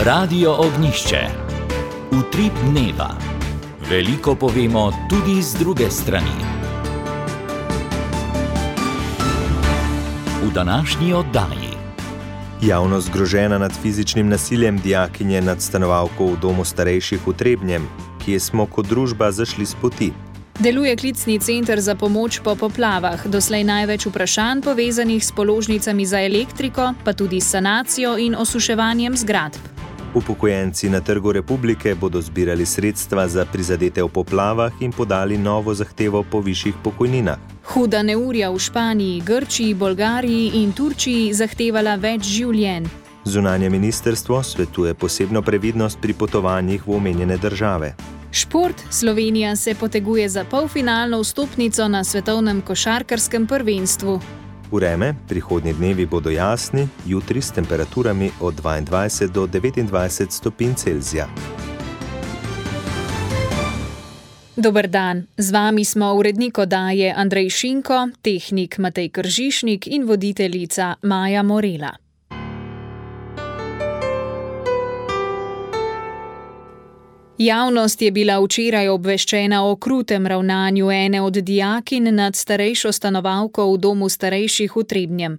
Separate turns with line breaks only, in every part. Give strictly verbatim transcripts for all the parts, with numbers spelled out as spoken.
Radio Ognjišče. Utrip dneva. Veliko povemo tudi z druge strani. V današnji oddaji.
Javnost zgrožena nad fizičnim nasiljem dijakinje nad stanovalko v domu starejših v Trebnjem, kje smo kot družba zašli s poti.
Deluje klicni center za pomoč po poplavah, doslej največ vprašanj povezanih s položnicami za elektriko, pa tudi s sanacijo in osuševanjem zgradb.
Upokojenci na Trgu Republike bodo zbirali sredstva za prizadete v poplavah in podali novo zahtevo po višjih pokojninah.
Huda neurja v Španiji, Grčiji, Bolgariji in Turčiji zahtevala več življenj.
Zunanje ministrstvo svetuje posebno previdnost pri potovanjih v omenjene države.
Šport. Slovenija se poteguje za polfinalno vstopnico na svetovnem košarkarskem prvenstvu.
Vreme. Prihodnji dnevi bodo jasni, jutri s temperaturami od dvaindvajset do devetindvajset stopinj Celzija.
Dober dan, z vami smo urednik oddaje Andrej Šinko, tehnik Matej Kržišnik in voditeljica Maja Morela. Javnost je bila včeraj obveščena o krutem ravnanju ene od dijakinj nad starejšo stanovalko v domu starejših v Trebnjem.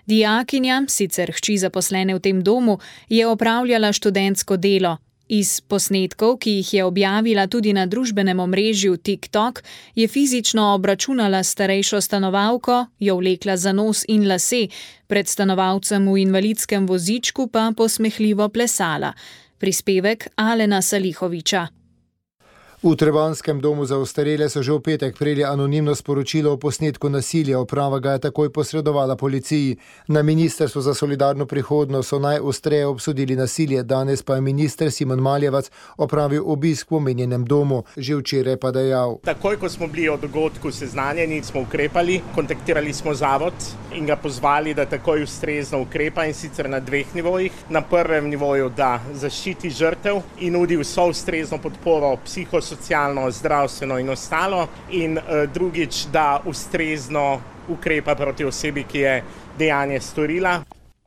Dijakinja, sicer hči zaposlene v tem domu, je opravljala študentsko delo. Iz posnetkov, ki jih je objavila tudi na družbenem omrežju TikTok, je fizično obračunala starejšo stanovalko, jo vlekla za nos in lase, pred stanovalcem v invalidskem vozičku pa posmehljivo plesala. Prispevek Alena Salihoviča.
V Trebanskem domu za ostarele so že v petek prejeli anonimno sporočilo o posnetku nasilja. Uprava ga je takoj posredovala policiji. Na Ministrstvu za solidarno prihodnost so najostreje obsodili nasilje, danes pa je minister Simon Maljevac opravil obisk v omenjenem domu. Že včeraj pa dejal:
Takoj, ko smo bili o dogodku seznanjeni, smo ukrepali, kontaktirali smo zavod in ga pozvali, da takoj ustrezno ukrepa, in sicer na dveh nivojih. Na prvem nivoju, da zaščiti žrtev in nudi vso ustrezno podporo psihosocialno, socialno, zdravstveno in ostalo, in uh, drugič, da ustrezno ukrepa proti osebi, ki je dejanje storila.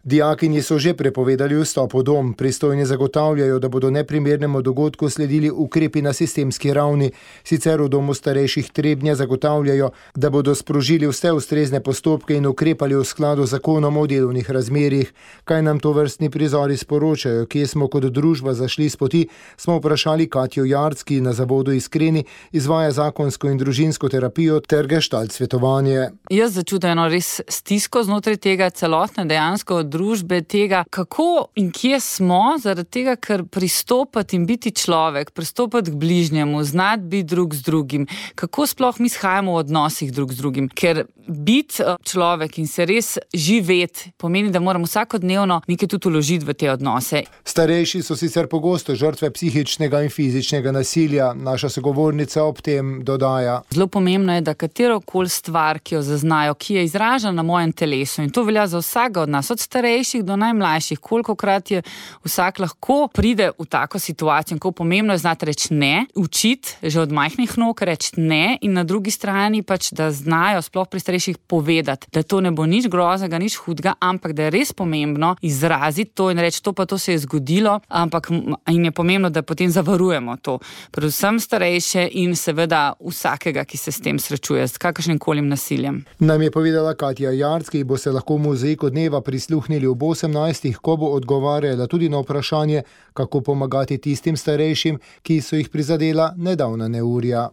Dijakinji so že prepovedali vstop v dom. Pristojni zagotavljajo, da bodo neprimernemu dogodku sledili ukrepi na sistemski ravni. Sicer v domu starejših Trebnja zagotavljajo, da bodo sprožili vse ustrezne postopke in ukrepali v skladu z zakonom o delovnih razmerjih. Kaj nam to vrstni prizori sporočajo, kje smo kot družba zašli s poti, smo vprašali Katjo Jarc, ki na zavodu Iskreni izvaja zakonsko in družinsko terapijo ter gestalt svetovanje.
Jaz začutim eno res stisko znotraj tega celotne dejansko družbe, tega, kako in kje smo, zaradi tega, ker pristopati in biti človek, pristopati k bližnjemu, znati biti drug z drugim, kako sploh mi shajamo v odnosih drug z drugim, ker biti človek in se res živeti pomeni, da moramo vsakodnevno nekaj tudi vložiti v te odnose.
Starejši so sicer pogosto žrtve psihičnega in fizičnega nasilja. Naša sogovornica ob tem dodaja:
Zelo pomembno je, da katerokoli stvar, ki jo zaznajo, ki je izražena na mojem telesu, in to velja za vsega od nas, od starejših do najmlajših, kolikokrat je vsak lahko pride v tako situacijo, in kako pomembno je znati reči ne, učiti že od majhnih nog reči ne, in na drugi strani pač, da znajo sploh pri starejših povedati, da to ne bo nič groznega, nič hudega, ampak da je res pomembno izraziti to in reči, to pa to se je zgodilo, ampak in je pomembno, da potem zavarujemo to. Predvsem starejše in seveda vsakega, ki se s tem srečuje, s kakršnim kolim nasiljem.
Nam je povedala Katja Jarc, ki bo se lahko v mozaiku dneva prisluhnili ob osemnajstih, ko bo odgovarjala tudi na vprašanje, kako pomagati tistim starejšim, ki so jih prizadela nedavna neurja.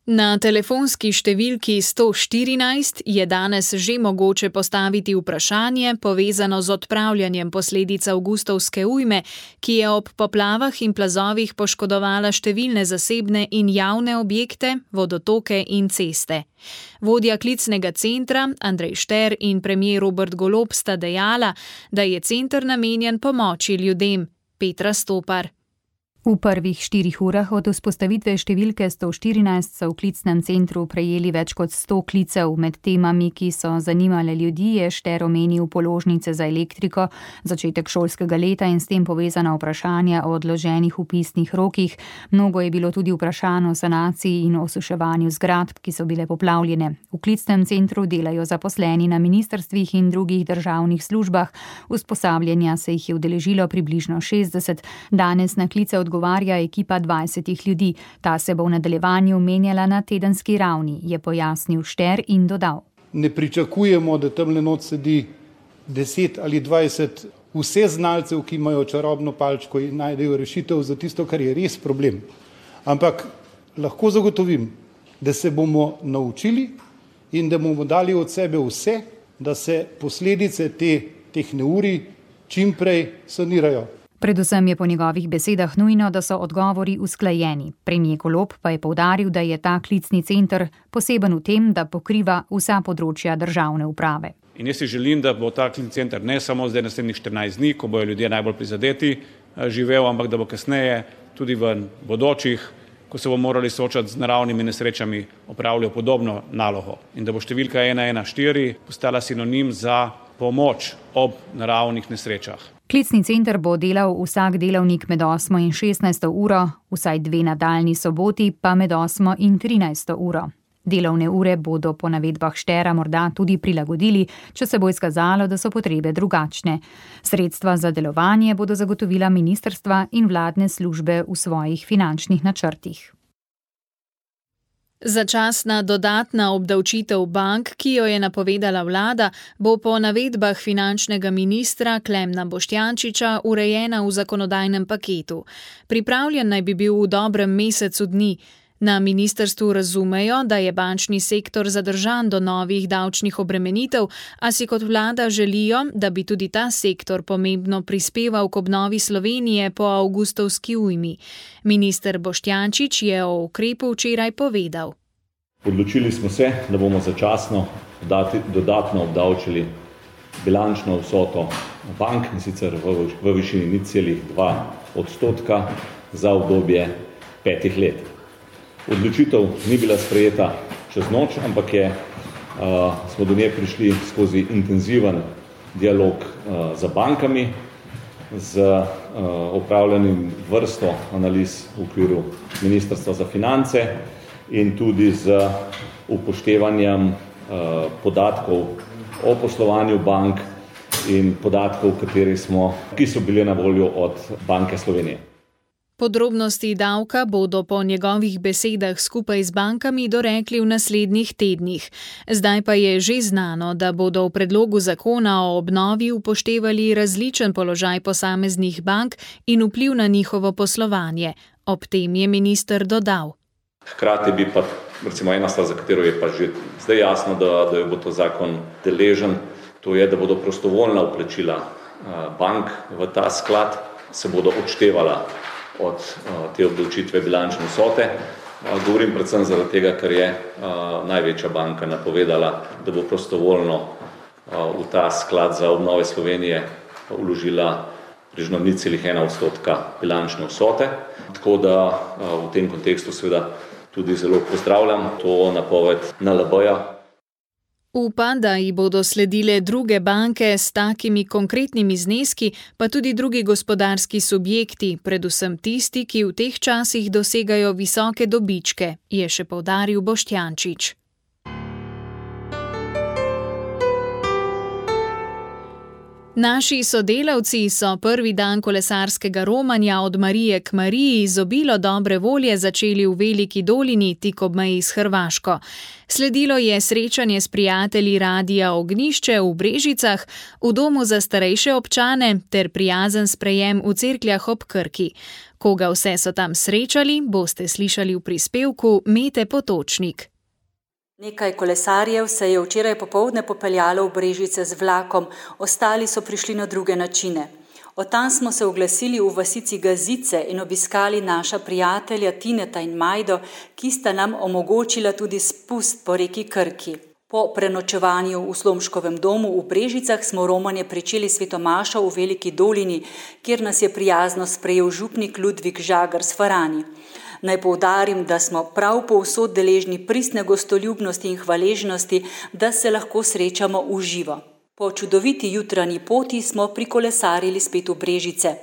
Na telefonski številki sto štirinajst je danes že mogoče postaviti vprašanje povezano z odpravljanjem posledic avgustovske ujme, ki je ob poplavah in plazovih poškodovala številne zasebne in javne objekte, vodotoke in ceste. Vodja klicnega centra Andrej Šter in premier Robert Golob sta dejala, da je center namenjen pomoči ljudem. Petra Stopar.
V prvih štirih urah od vzpostavitve številke sto štirinajst so v klicnem centru prejeli več kot sto klicev. Med temami, ki so zanimale ljudi, je Šter omenil položnice za elektriko, začetek šolskega leta in s tem povezana vprašanja o odloženih vpisnih rokih. Mnogo je bilo tudi vprašanj o sanaciji in osuševanju zgradb, ki so bile poplavljene. V klicnem centru delajo zaposleni na ministrstvih in drugih državnih službah. Usposabljanja se jih je udeležilo približno šestdeset. Danes na klice odgovarjajo Govarja ekipa dvajsetih ljudi. Ta se bo v nadaljevanju menjala na tedenski ravni, je pojasnil Šter in dodal.
Ne pričakujemo, da tamle not sedi deset ali dvajset vse znalcev, ki imajo čarobno palčko in najdejo rešitev za tisto, kar je res problem. Ampak lahko zagotovim, da se bomo naučili in da bomo dali od sebe vse, da se posledice te, teh neurij čim prej sanirajo.
Predvsem je po njegovih besedah nujno, da so odgovori usklajeni. Premier Golob pa je poudaril, da je ta klicni center poseben v tem, da pokriva vsa področja državne uprave.
In jaz si želim, da bo ta klicni center ne samo zdaj naslednjih štirinajst dni, ko bojo ljudje najbolj prizadeti, živel, ampak da bo kasneje tudi v bodočih, ko se bomo morali soočati z naravnimi nesrečami, opravljal podobno nalogo. In da bo številka ena ena štiri postala sinonim za pomoč ob naravnih nesrečah.
Klicni center bo delal vsak delavnik med osmo in šestnajsto uro, vsaj dve nadaljni soboti pa med osmo in trinajsto uro. Delovne ure bodo po navedbah Štera morda tudi prilagodili, če se bo izkazalo, da so potrebe drugačne. Sredstva za delovanje bodo zagotovila ministrstva in vladne službe v svojih finančnih načrtih.
Začasna dodatna obdavčitev bank, ki jo je napovedala vlada, bo po navedbah finančnega ministra Klemna Boštjančiča urejena v zakonodajnem paketu. Pripravljen naj bi bil v dobrem mesecu dni. Na ministrstvu razumejo, da je bančni sektor zadržan do novih davčnih obremenitev, a si kot vlada želijo, da bi tudi ta sektor pomembno prispeval k obnovi Slovenije po avgustovski ujmi. Minister Boštjančič je o ukrepu včeraj povedal.
Odločili smo se, da bomo začasno dodatno obdavčili bilančno vsoto bank, in sicer v, v višini nič celih dva odstotka za obdobje petih let. Odločitev ni bila sprejeta čez noč, ampak je, uh, smo do nje prišli skozi intenziven dialog uh, z bankami, z uh, opravljenim vrsto analiz v okviru Ministrstva za finance in tudi z upoštevanjem uh, podatkov o poslovanju bank in podatkov, kateri smo, ki so bili na voljo od Banke Slovenije.
Podrobnosti davka bodo po njegovih besedah skupaj z bankami dorekli v naslednjih tednih. Zdaj pa je že znano, da bodo v predlogu zakona o obnovi upoštevali različen položaj posameznih bank in vpliv na njihovo poslovanje. Ob tem je minister dodal.
Hkrati bi pa, recimo ena stvar, za katero je pa že zdaj jasno, da, da bo to zakon deležen, to je, da bodo prostovoljna vplačila bank v ta sklad se bodo odštevala od te obdavčitve bilančne vsote. Govorim predvsem zaradi tega, ker je največja banka napovedala, da bo prostovoljno v ta sklad za obnove Slovenije vložila približno nič celih ena odstotka bilančne vsote. Tako da v tem kontekstu seveda tudi zelo pozdravljam to napoved N L B-ja.
Upa, da ji bodo sledile druge banke s takimi konkretnimi zneski, pa tudi drugi gospodarski subjekti, predvsem tisti, ki v teh časih dosegajo visoke dobičke, je še poudaril Boštjančič. Naši sodelavci so prvi dan kolesarskega romanja od Marije k Mariji z obilo dobre volje začeli v Veliki Dolini, tik ob meji s Hrvaško. Sledilo je srečanje s prijatelji Radia Ognjišče v Brežicah, v domu za starejše občane ter prijazen sprejem v Cerkljah ob Krki. Koga vse so tam srečali, boste slišali v prispevku Mete Potočnik.
Nekaj kolesarjev se je včeraj popoldne popeljalo v Brežice z vlakom, ostali so prišli na druge načine. Od tam smo se oglasili v vasici Gazice in obiskali naša prijatelja Tineta in Majdo, ki sta nam omogočila tudi spust po reki Krki. Po prenočevanju v Slomškovem domu v Brežicah smo romanje pričeli svetomašo v Veliki dolini, kjer nas je prijazno sprejel župnik Ludvik Žagar s Farani. Naj poudarim, da smo prav povsod deležni pristne gostoljubnosti in hvaležnosti, da se lahko srečamo v živo. Po čudoviti jutranji poti smo prikolesarili spet v Brežice.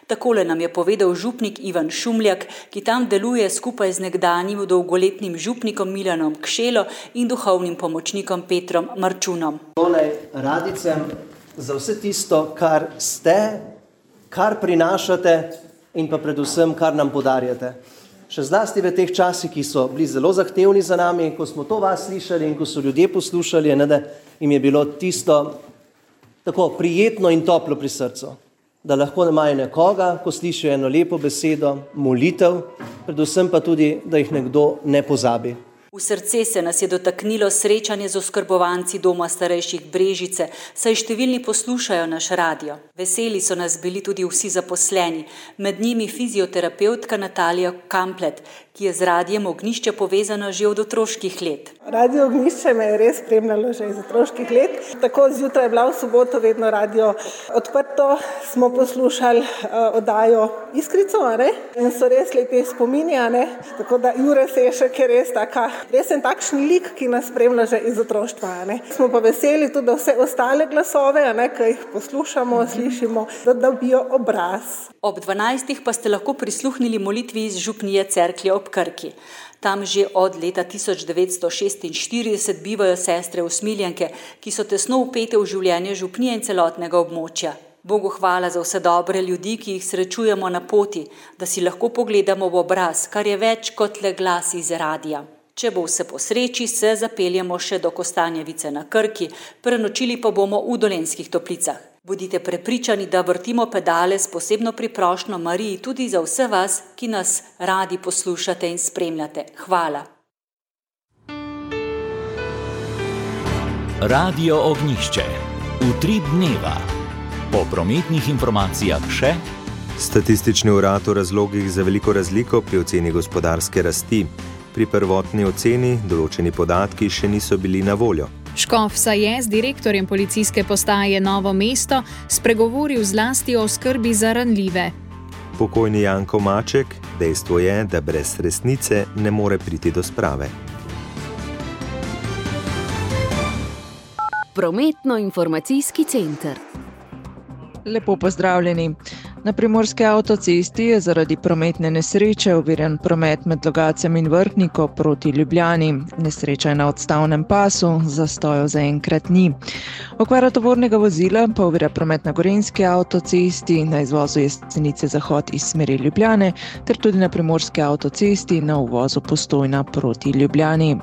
Takole nam je povedal župnik Ivan Šumljak, ki tam deluje skupaj z nekdanjim dolgoletnim župnikom Milanom Kšelo in duhovnim pomočnikom Petrom Marčunom.
Tole radicem za vse tisto, kar ste, kar prinašate in pa predvsem, kar nam podarjate. Še zlasti v teh časih, ki so bili zelo zahtevni za nami, ko smo to vas slišali in ko so ljudje poslušali, ne, da jim je bilo tisto tako prijetno in toplo pri srcu. Da lahko imajo nekoga, ko slišijo eno lepo besedo, molitev, predvsem pa tudi, da jih nekdo ne pozabi.
V srce se nas je dotaknilo srečanje z oskrbovanci Doma starejših Brežice, saj številni poslušajo naš radio. Veseli so nas bili tudi vsi zaposleni, med njimi fizioterapeutka Natalija Kamplet, ki je z radijem Ognjišče povezana že od otroških let.
Radio Ognjišče me je res spremljalo že iz otroških let. Tako zjutraj je bila v soboto vedno radio odprto, smo poslušali uh, oddajo Iskrico, ne? In so res lepi spomini, ne? Tako da Jure Sešek je res taka, res en takšen lik, ki nas spremlja že iz otroštva, ne? Smo pa veseli tudi, da vse ostale glasove, ne, ki jih poslušamo, slišimo, da dobijo obraz.
Ob dvanajstih pa ste lahko prisluhnili molitvi iz župnije Cerklje ob Krki. Tam že od leta tisoč devetsto šestinštirideset bivajo sestre usmiljenke, ki so tesno vpete v življenje župnije in celotnega območja. Bogu hvala za vse dobre ljudi, ki jih srečujemo na poti, da si lahko pogledamo v obraz, kar je več kot le glas iz radija. Če bo vse po sreči, se zapeljemo še do Kostanjevice na Krki, prenočili pa bomo v Dolenjskih Toplicah. Bodite prepričani, da vrtimo pedale s posebno priprošnjo Mariji tudi za vse vas, ki nas radi poslušate in spremljate. Hvala.
Radio Ognjišče. Utrip dneva. Po prometnih informacijah še
Statistični urad o razlogih za veliko razliko pri oceni gospodarske rasti. Pri prvotni oceni določeni podatki še niso bili na voljo.
Škof Saje z direktorjem policijske postaje Novo mesto spregovoril zlasti o skrbi za ranljive.
Pokojni Janko Maček, dejstvo je, da brez resnice ne more priti do sprave.
Prometno-informacijski center.
Lepo pozdravljeni. Na primorski avtocesti je zaradi prometne nesreče oviran promet med Logatcem in Vrhniko proti Ljubljani. Nesreča je na odstavnem pasu, zastojev zaenkrat ni. Okvara tovornega vozila pa ovira promet na Gorenjski avtocesti, na izvozu Jesenice zahod iz smeri Ljubljane, ter tudi na primorski avtocesti na uvozu Postojna proti Ljubljani.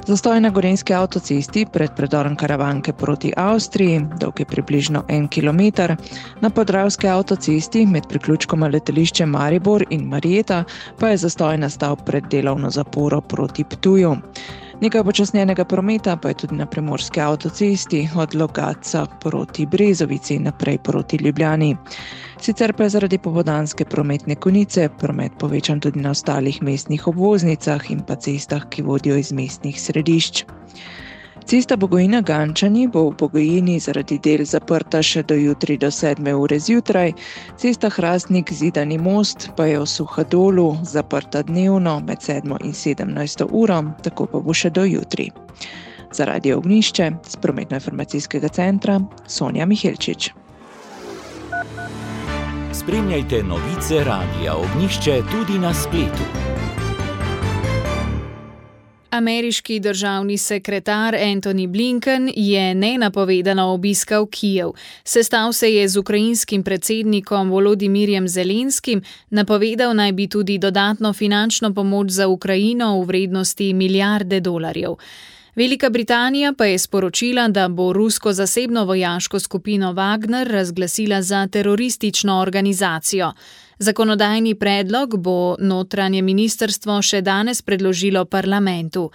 Zastoj na Gorenjski avtocesti pred predorom Karavanke proti Avstriji, dolg je približno en kilometer, na Podravski avtocesti med priključkoma letališče Maribor in Marjeta pa je zastoj nastal pred delovno zaporo proti Ptuju. Nekaj počasnjenega prometa pa je tudi na primorski avtocesti od Logatca proti Brezovici naprej proti Ljubljani. Sicer pa je zaradi popoldanske prometne konice promet povečan tudi na ostalih mestnih obvoznicah in pa cestah, ki vodijo iz mestnih središč. Cesta Bogojina-Gančani bo v Bogojini zaradi del zaprta še do jutri do sedme ure zjutraj, cesta Hrastnik-Zidani most pa je v Suhadolu zaprta dnevno med sedmo in sedemnajsto uro, tako pa bo še do jutri. Za Radio Ognjišče z prometno-informacijskega centra Sonja Mihelčič.
Spremljajte novice Radia Ognjišče tudi na spletu.
Ameriški državni sekretar Antony Blinken je nenapovedano obiskal Kijev. Sestal se je z ukrajinskim predsednikom Volodimirjem Zelenskim, napovedal naj bi tudi dodatno finančno pomoč za Ukrajino v vrednosti milijarde dolarjev. Velika Britanija pa je sporočila, da bo rusko zasebno vojaško skupino Wagner razglasila za teroristično organizacijo. Zakonodajni predlog bo notranje ministrstvo še danes predložilo parlamentu.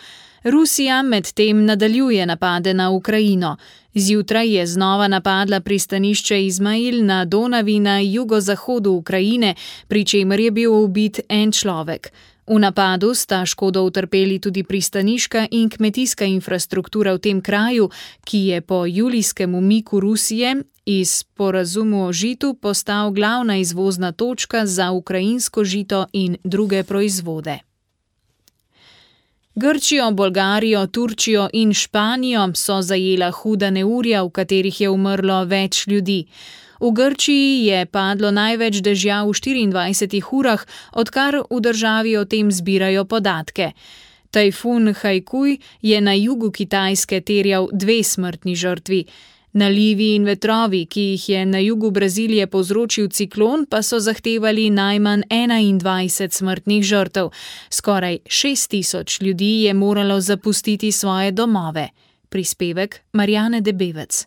Rusija medtem nadaljuje napade na Ukrajino. Zjutraj je znova napadla pristanišče Izmail na Donavi na jugozahodu Ukrajine, pri čemer je bil ubit en človek. V napadu sta škodo utrpeli tudi pristaniška in kmetijska infrastruktura v tem kraju, ki je po julijskem umiku Rusije iz sporazumu o žitu postal glavna izvozna točka za ukrajinsko žito in druge proizvode. Grčijo, Bolgarijo, Turčijo in Španijo so zajela huda neurja, v katerih je umrlo več ljudi. V Grčiji je padlo največ dežja v štiriindvajsetih urah, odkar v državi o tem zbirajo podatke. Tajfun Haikuj je na jugu Kitajske terjal dve smrtni žrtvi. Nalivi in vetrovi, ki jih je na jugu Brazilije povzročil ciklon, pa so zahtevali najmanj enaindvajset smrtnih žrtev. Skoraj šest tisoč ljudi je moralo zapustiti svoje domove. Prispevek Marjane Debevec.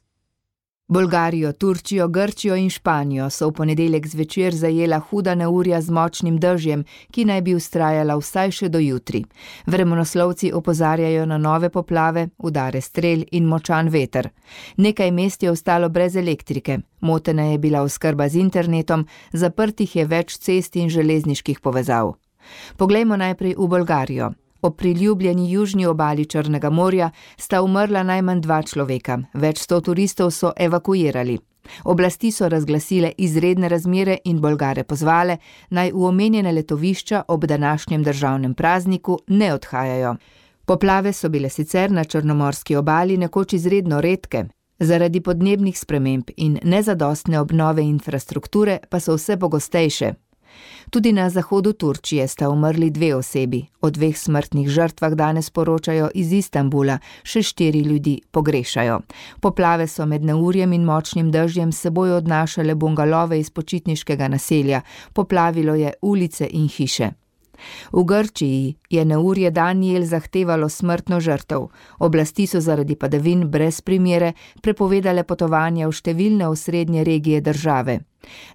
Bolgarijo, Turčijo, Grčijo in Španijo so v ponedeljek zvečer zajela huda neurja z močnim dežjem, ki naj bi vztrajala vsaj še do jutri. Vremenoslovci opozarjajo na nove poplave, udare strel in močan veter. Nekaj mest je ostalo brez elektrike, motena je bila oskrba z internetom, zaprtih je več cest in železniških povezav. Poglejmo najprej v Bolgarijo. Ob priljubljeni južni obali Črnega morja sta umrla najmanj dva človeka, več sto turistov so evakuirali. Oblasti so razglasile izredne razmere in Bolgare pozvale, naj v omenjene letovišča ob današnjem državnem prazniku ne odhajajo. Poplave so bile sicer na črnomorski obali nekoč izredno redke, zaradi podnebnih sprememb in nezadostne obnove infrastrukture pa so vse pogostejše. Tudi na zahodu Turčije sta umrli dve osebi. O dveh smrtnih žrtvah danes poročajo iz Istanbula, še štiri ljudi pogrešajo. Poplave so med neurjem in močnim dežjem s seboj odnašale bungalove iz počitniškega naselja, poplavilo je ulice in hiše. V Grčiji je neurje Daniel zahtevalo smrtno žrtev. Oblasti so zaradi padavin brez primere prepovedale potovanja v številne osrednje regije države.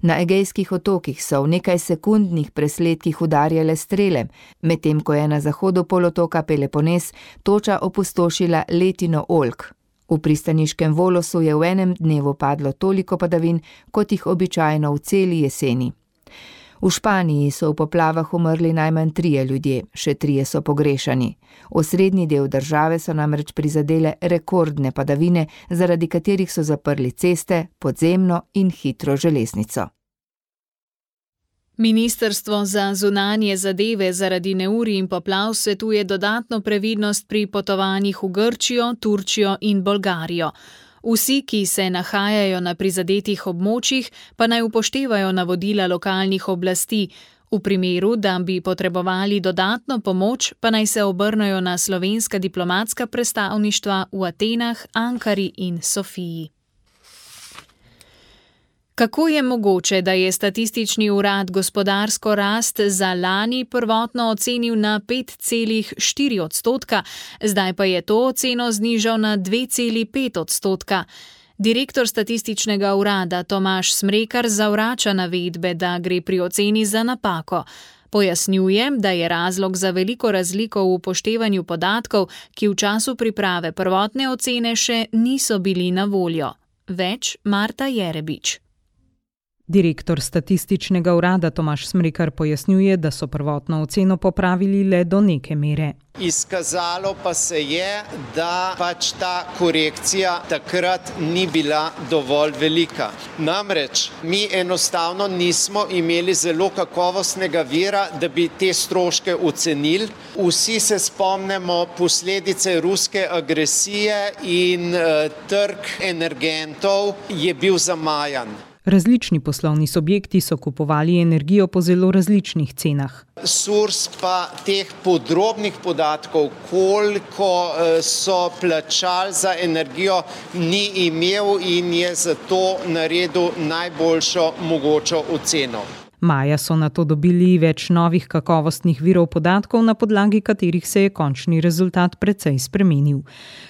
Na Egejskih otokih so v nekaj sekundnih presledkih udarjale strele, medtem ko je na zahodu polotoka Pelopones toča opustošila letino oljk. V pristaniškem Volosu je v enem dnevu padlo toliko padavin, kot jih običajno v celi jeseni. V Španiji so v poplavah umrli najmanj trije ljudje, še trije so pogrešani. Osrednji del države so namreč prizadele rekordne padavine, zaradi katerih so zaprli ceste, podzemno in hitro železnico.
Ministrstvo za zunanje zadeve zaradi neurij in poplav svetuje dodatno previdnost pri potovanjih v Grčijo, Turčijo in Bolgarijo. Vsi, ki se nahajajo na prizadetih območjih, pa naj upoštevajo navodila lokalnih oblasti. V primeru, da bi potrebovali dodatno pomoč, pa naj se obrnejo na slovenska diplomatska predstavništva v Atenah, Ankari in Sofiji. Kako je mogoče, da je statistični urad gospodarsko rast za lani prvotno ocenil na pet celih štiri odstotka, zdaj pa je to oceno znižal na dve celih pet odstotka? Direktor statističnega urada Tomaž Smrekar zavrača navedbe, da gre pri oceni za napako. Pojasnjuje, da je razlog za veliko razliko v upoštevanju podatkov, ki v času priprave prvotne ocene še niso bili na voljo. Več Marta Jerebič.
Direktor statističnega urada Tomaž Smrekar pojasnjuje, da so prvotno oceno popravili le do neke mere.
Izkazalo pa se je, da pač ta korekcija takrat ni bila dovolj velika. Namreč mi enostavno nismo imeli zelo kakovostnega vira, da bi te stroške ocenili. Vsi se spomnimo posledice ruske agresije in uh, trg energentov je bil zamajan.
Različni poslovni subjekti so kupovali energijo po zelo različnih cenah.
SURS pa teh podrobnih podatkov, koliko so plačali za energijo, ni imel in je zato naredil najboljšo mogočo oceno.
Maja so nato dobili več novih kakovostnih virov podatkov, na podlagi katerih se je končni rezultat precej spremenil.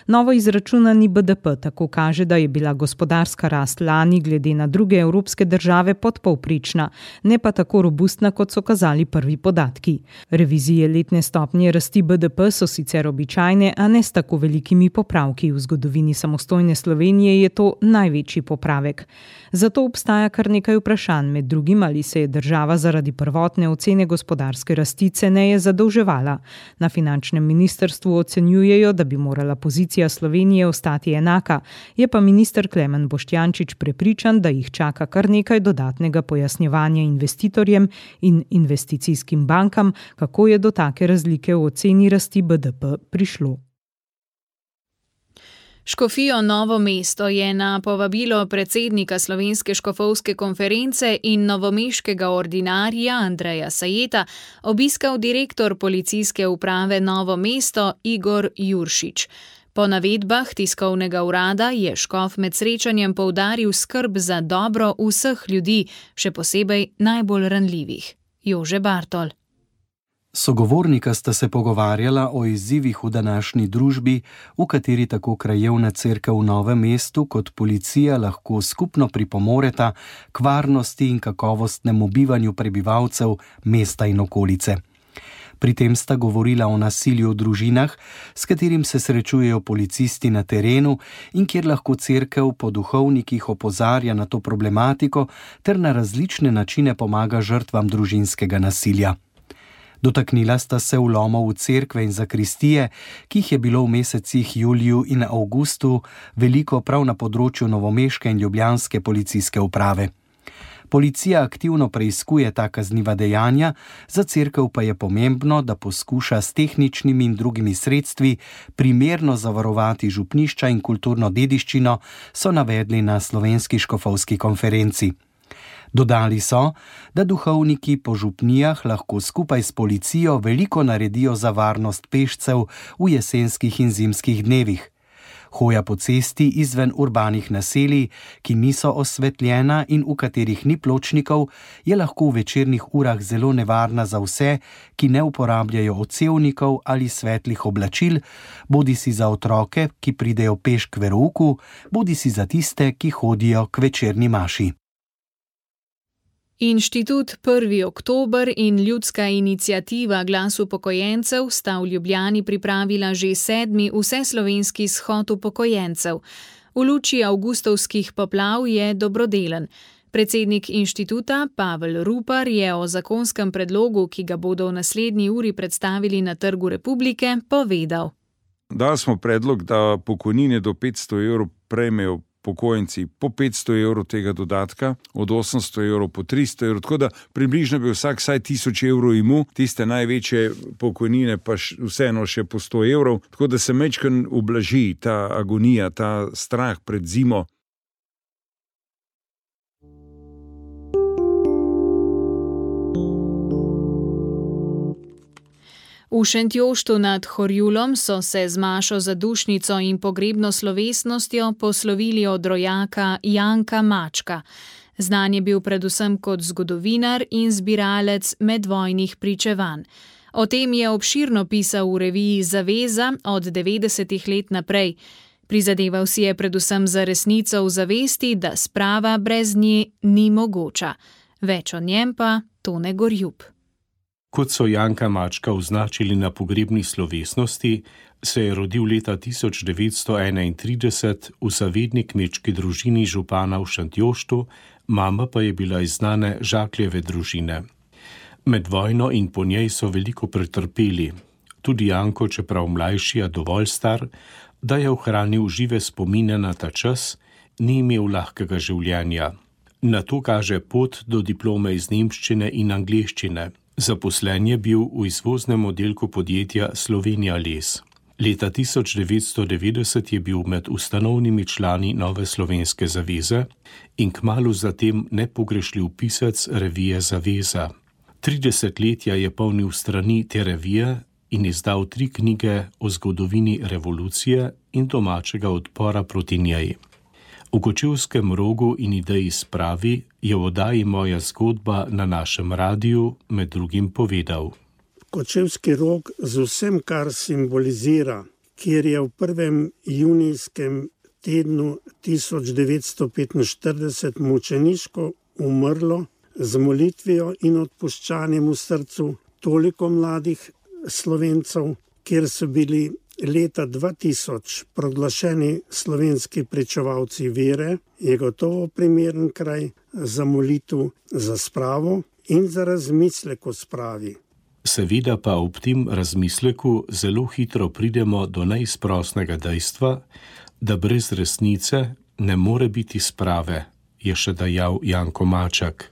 Novo izračunani B D P tako kaže, da je bila gospodarska rast lani glede na druge evropske države podpovprečna, ne pa tako robustna, kot so kazali prvi podatki. Revizije letne stopnje rasti B D P so sicer običajne, a ne s tako velikimi popravki. V zgodovini samostojne Slovenije je to največji popravek. Zato obstaja kar nekaj vprašanj, med drugim ali se je država zaradi prvotne ocene gospodarske rasti ceneje zadolževala. Na finančnem ministrstvu ocenjujejo, da bi morala pozicija Slovenije ostati enaka, je pa minister Klemen Boštjančič prepričan, da jih čaka kar nekaj dodatnega pojasnjevanja investitorjem in investicijskim bankam, kako je do take razlike v oceni rasti B D P prišlo.
Škofijo Novo mesto je na povabilo predsednika Slovenske škofovske konference in novomeškega ordinarija Andreja Sajeta obiskal direktor policijske uprave Novo mesto Igor Juršič. Po navedbah tiskovnega urada je škof med srečanjem poudaril skrb za dobro vseh ljudi, še posebej najbolj ranljivih. Jože Bartol.
Sogovornika sta se pogovarjala o izzivih v današnji družbi, v kateri tako krajevna cerkev v Novem mestu kot policija lahko skupno pripomoreta k varnosti in kakovostnemu bivanju prebivalcev mesta in okolice. Pri tem sta govorila o nasilju v družinah, s katerim se srečujejo policisti na terenu in kjer lahko cerkev po duhovnikih opozarja na to problematiko ter na različne načine pomaga žrtvam družinskega nasilja. Dotaknila sta se vlomov v cerkve in zakristije, ki jih je bilo v mesecih juliju in avgustu veliko prav na področju novomeške in ljubljanske policijske uprave. Policija aktivno preiskuje ta kazniva dejanja, za cerkev pa je pomembno, da poskuša s tehničnimi in drugimi sredstvi primerno zavarovati župnišča in kulturno dediščino, so navedli na Slovenski škofovski konferenci. Dodali so, da duhovniki po župnijah lahko skupaj s policijo veliko naredijo za varnost pešcev v jesenskih in zimskih dnevih. Hoja po cesti izven urbanih naselij, ki niso osvetljena in v katerih ni pločnikov, je lahko v večernih urah zelo nevarna za vse, ki ne uporabljajo odsevnikov ali svetlih oblačil, bodisi za otroke, ki pridejo peš k verouku, bodisi za tiste, ki hodijo k večerni maši.
Inštitut prvi oktober in ljudska iniciativa Glas upokojencev sta v Ljubljani pripravila že sedmi vseslovenski shod upokojencev. V luči avgustovskih poplav je dobrodelen. Predsednik inštituta Pavel Rupar je o zakonskem predlogu, ki ga bodo v naslednji uri predstavili na Trgu Republike, povedal.
Dali smo predlog, da pokojnine do petsto evrov prejmejo pokojenci po petsto evrov tega dodatka, od osemsto evrov po tristo evrov, tako da približno bi vsak vsaj tisoč evrov imel, tiste največje pokojnine pa vseeno še po sto evrov, tako da se majčkeno ublaži ta agonija, ta strah pred zimo.
V Šentjoštu nad Horjulom so se z mašo za dušnico in pogrebno slovesnostjo poslovili od rojaka Janka Mačka. Znan je bil predvsem kot zgodovinar in zbiralec medvojnih pričevanj. O tem je obširno pisal v reviji Zaveza od devetdesetih let naprej. Prizadeval si je predvsem za resnico v zavesti, da sprava brez nje ni mogoča. Več o njem pa Tone Gorjup.
Kot so Janka Mačka označili na pogrebni slovesnosti, se je rodil leta tisoč devetsto enaintrideset v zavedni kmečki družini župana v Šentjoštu, mama pa je bila iz znane Žakljeve družine. Med vojno in po njej so veliko pretrpeli. Tudi Janko, čeprav mlajši, a dovolj star, da je ohranil žive spomine na ta čas, ni imel lahkega življenja. Na to kaže pot do diplome iz nemščine in angleščine. Zaposlen je bil v izvoznem oddelku podjetja Slovenija les. Leta tisoč devetsto devetdeset je bil med ustanovnimi člani Nove slovenske zaveze in kmalu zatem nepogrešljiv pisec revije Zaveza. Tri desetletja je polnil strani te revije in izdal tri knjige o zgodovini revolucije in domačega odpora proti njej. V Kočevskem rogu in ideji spravi je v oddaji Moja zgodba na našem radiju med drugim povedal.
Kočevski rog z vsem, kar simbolizira, kjer je v prvem junijskem tednu tisoč devetsto petinštirideset mučeniško umrlo z molitvijo in odpuščanjem v srcu toliko mladih Slovencev, kjer so bili leta dva tisoč proglašeni slovenski pričevalci vere, je gotovo primeren kraj za molitev za spravo in za razmislek o spravi.
Seveda pa ob tem razmisleku zelo hitro pridemo do neizprosnega dejstva, da brez resnice ne more biti sprave, je še dejal Janko Maček.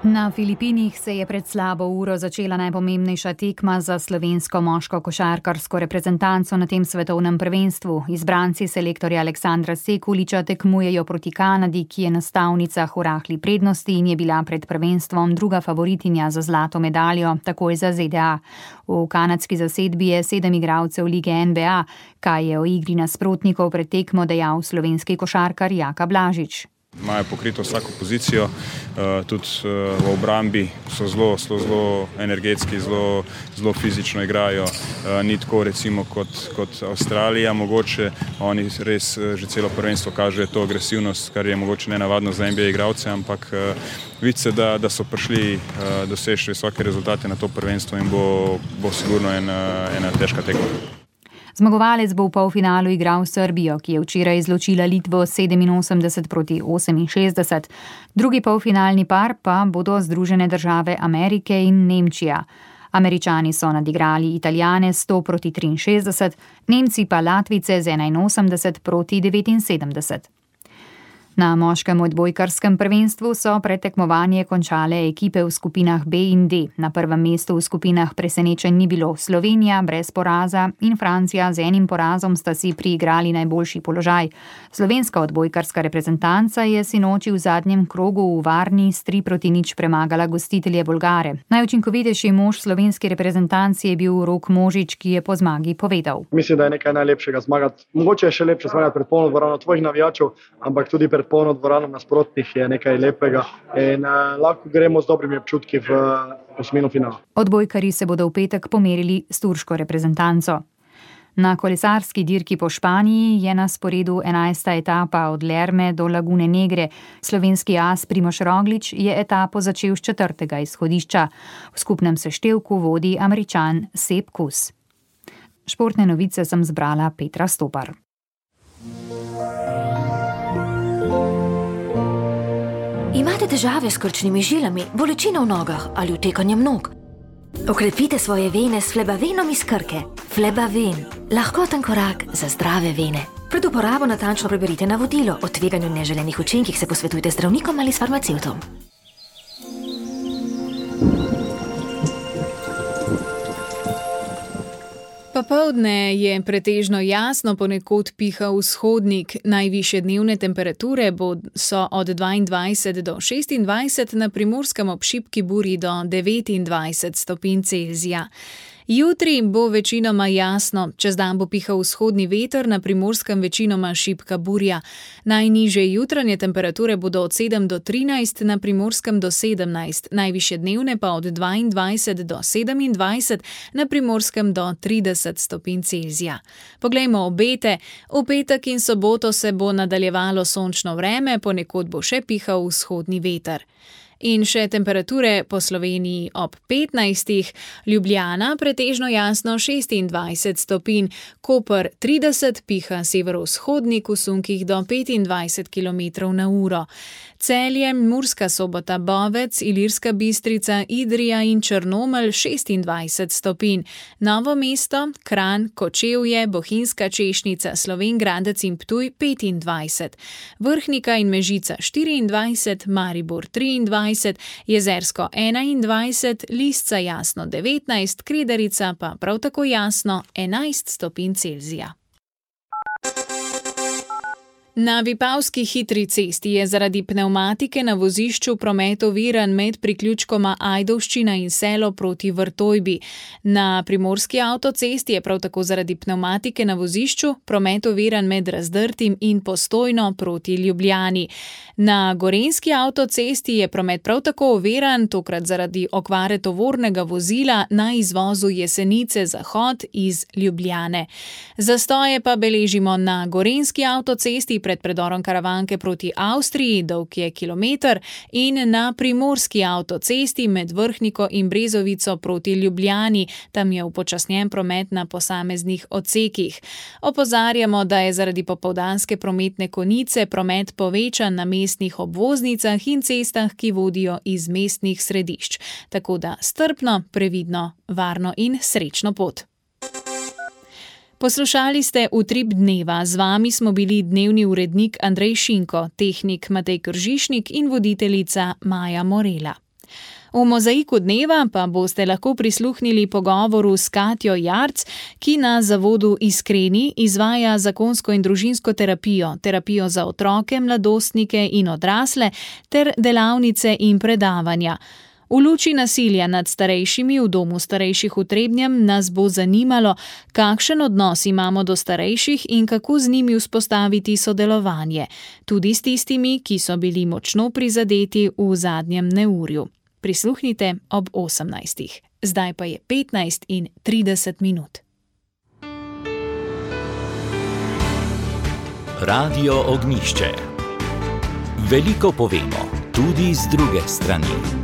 Na Filipinih se je pred slabo uro začela najpomembnejša tekma za slovensko moško košarkarsko reprezentanco na tem svetovnem prvenstvu. Izbranci selektorja Aleksandra Sekuliča tekmujejo proti Kanadi, ki je na stavnicah v rahli prednosti in je bila pred prvenstvom druga favoritinja za zlato medaljo, takoj za Z D A. V kanadski zasedbi je sedem igralcev lige N B A, kaj je o igri nasprotnikov pred tekmo dejal slovenski košarkar Jaka Blažič.
Imajo pokrito vsako pozicijo, tudi v obrambi so zelo, zelo, zelo energetski, zelo, zelo fizično igrajo. Ni tako recimo kot, kot Avstralija, mogoče oni res že celo prvenstvo kažejo to agresivnost, kar je mogoče nenavadno za N B A igralce, ampak vidi se, da, da so prišli doseči visoke rezultate na to prvenstvo in bo, bo sigurno ena, ena težka tekma.
Zmagovalec bo v polfinalu igral Srbijo, ki je včeraj izločila Litvo sedeminosemdeset proti oseminšestdeset. Drugi polfinalni par pa bodo Združene države Amerike in Nemčija. Američani so nadigrali Italijane sto proti triinšestdeset, Nemci pa Latvice z enainosemdeset proti devetinsedemdeset. Na moškem odbojkarskem prvenstvu so predtekmovanje končale ekipe v skupinah B in D. Na prvem mestu v skupinah presenečenj ni bilo. Slovenija brez poraza in Francija z enim porazom sta si priigrali najboljši položaj. Slovenska odbojkarska reprezentanca je sinoči v zadnjem krogu v Varni s tri proti nič premagala gostitelje Bolgare. Najučinkovitejši mož slovenske reprezentanci je bil Rok Možič, ki je po zmagi povedal.
Mislim, da je nekaj najlepšega zmagati. Mogoče je še lepše zmagati pred polno dvorano tvojih navijačev, ampak tudi pred polno dvorano nasprotnih je nekaj lepega in uh, lahko gremo z dobrimi občutki v osmino finala.
Odbojkarji se bodo v petek pomerili s turško reprezentanco. Na kolesarski dirki po Španiji je na sporedu enajsta etapa od Lerme do Lagune Negre. Slovenski as Primož Roglič je etapo začel s četrtega izhodišča. V skupnem seštevku vodi Američan Sepp Kuss. Športne novice sem zbrala Petra Stopar.
Imate težave s krčnimi žilami, bolečino v nogah ali utekanjem nog? Okrepite svoje vene s Flebavenom iz Krke. Flebaven. Lahkoten korak za zdrave vene. Pred uporabo natančno preberite navodilo. O tveganju neželenih učinkih se posvetujte z zdravnikom ali s farmacevtom.
Popoldne je pretežno jasno, ponekod piha vzhodnik. Najvišje dnevne temperature so od dvaindvajset do šestindvajset, na Primorskem ob šibki burji do devetindvajset stopinj Celzija. Jutri bo večinoma jasno, čez dan bo pihal vzhodni veter, na Primorskem večinoma šibka burja. Najnižje jutranje temperature bodo od sedem do trinajst, na Primorskem do sedemnajst, najvišje dnevne pa od dvaindvajset do sedemindvajset, na Primorskem do trideset stopinj Celzija. Poglejmo obete. V petek in soboto se bo nadaljevalo sončno vreme, ponekod bo še pihal vzhodni veter. In še temperature po Sloveniji ob petnajstih, Ljubljana pretežno jasno šestindvajset stopinj, Koper trideset, piha severovzhodnik v sunkih do petindvajset kilometrov na uro. Celje, Murska Sobota, Bovec, Ilirska Bistrica, Idrija in Črnomelj šestindvajset stopinj, Novo mesto, Kranj, Kočevje, Bohinjska Češnica, Slovenj Gradec in Ptuj petindvajset, Vrhnika in Mežica štiriindvajset, Maribor triindvajset, Jezersko enaindvajset, Lisca jasno devetnajst, Kredarica pa prav tako jasno enajst stopinj Celzija. Na Vipavski hitri cesti je zaradi pnevmatike na vozišču promet oviran med priključkoma Ajdovščina in Selo proti Vrtojbi. Na Primorski avtocesti je prav tako zaradi pnevmatike na vozišču promet oviran med Razdrtim in Postojno proti Ljubljani. Na Gorenjski avtocesti je promet prav tako oviran, tokrat zaradi okvare tovornega vozila na izvozu Jesenice Zahod iz Ljubljane. Zastoje pa beležimo na Gorenjski avtocesti pred predorom Karavanke proti Avstriji, dolg je kilometer, in na primorski avtocesti med Vrhniko in Brezovico proti Ljubljani. Tam je upočasnjen promet na posameznih odsekih. Opozarjamo, da je zaradi popoldanske prometne konice promet povečan na mestnih obvoznicah in cestah, ki vodijo iz mestnih središč. Tako da strpno, previdno, varno in srečno pot. Poslušali ste Utrip dneva. Z vami smo bili dnevni urednik Andrej Šinko, tehnik Matej Kržišnik in voditeljica Maja Morela. V Mozaiku dneva pa boste lahko prisluhnili pogovoru s Katjo Jarc, ki na zavodu Iskreni izvaja zakonsko in družinsko terapijo, terapijo za otroke, mladostnike in odrasle ter delavnice in predavanja. V luči nasilja nad starejšimi v domu starejših v Trebnjem nas bo zanimalo, kakšen odnos imamo do starejših in kako z njimi vzpostaviti sodelovanje, tudi s tistimi, ki so bili močno prizadeti v zadnjem neurju. Prisluhnite ob osemnajstih. Zdaj pa je petnajst in trideset minut.
Radio Ognjišče. Veliko povemo, tudi z druge strani.